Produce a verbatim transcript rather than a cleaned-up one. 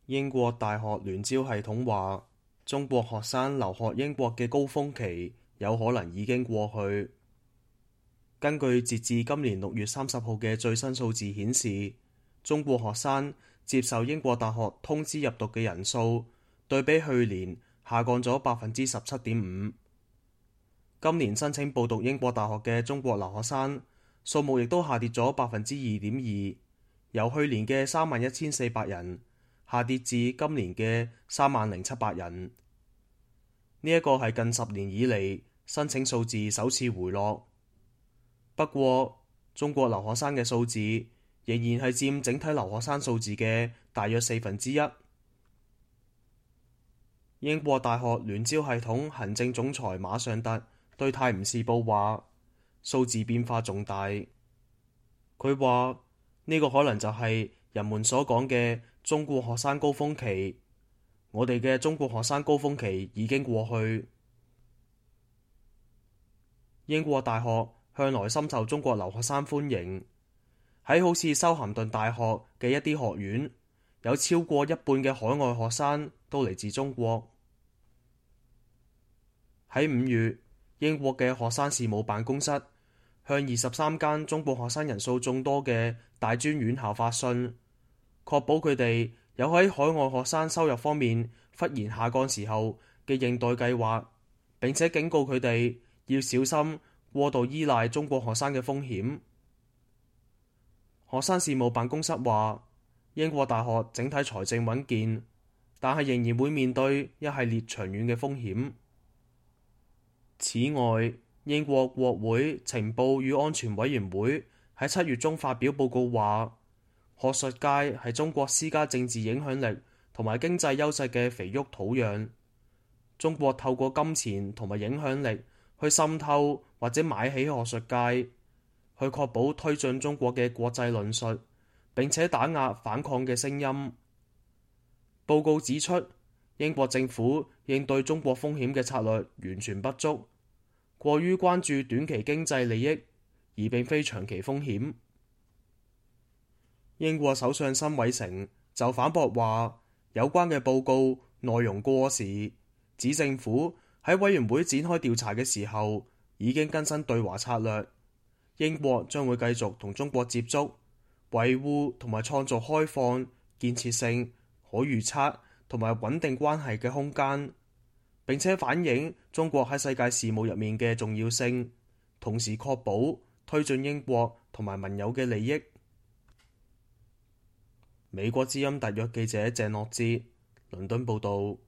英國大學聯招系統話，中國學生留學英國嘅高峰期有可能已經過去。根據截至今年六月三十號嘅最新數字顯示，中國學生接受英國大學通知入讀嘅人數對比去年下降咗百分之十七點五。今年申請報讀英國大學嘅中國留學生數目亦都下跌咗百分之二點二，由去年嘅三萬一千四百人下跌至今年嘅三萬零七百人。呢一個係近十年以嚟申請數字首次回落。不過，中國留學生嘅數字仍然係佔整體留學生數字嘅大約四分之一。英國大學聯招系統行政總裁馬尚特對《泰晤士報》話：數字變化重大。佢話呢個可能就係人們所講嘅中國學生高峰期。我哋嘅中國學生高峰期已經過去。英國大學向來深受中國留學生歡迎。喺好似修咸頓大學嘅一啲學院，有超過一半嘅海外學生都嚟自中國。喺五月，英國嘅學生事務辦公室向二十三間中國學生人數眾多嘅大專院校發信，確保佢哋有喺海外學生收入方面忽然下降時候嘅應對計劃，並且警告佢哋要小心過度依賴中國學生嘅風險。學生事務辦公室話，英國大學整體財政穩健，但係仍然會面對一系列長遠嘅風險。此外，英國國會情報與安全委員會喺七月中發表報告話，學術界係中國施加政治影響力同埋經濟優勢嘅肥沃土壤。中國透過金錢同埋影響力去滲透或者買起學術界，去確保推進中國嘅國際論述，並且打壓反抗嘅聲音。報告指出，英國政府應對中國風險嘅策略完全不足，過於關注短期經濟利益，而並非長期風險。英國首相辛偉誠就反駁話，有關嘅報告內容過時，指政府喺委員會展開調查嘅時候已經更新對華策略。英國將會繼續同中國接觸，維護同埋創造開放、建設性、可預測同埋穩定關係嘅空間，並且反映中國喺世界事務入面嘅重要性，同時確保推進英國同埋盟友嘅利益。美國之音特約記者鄭諾哲，倫敦報道。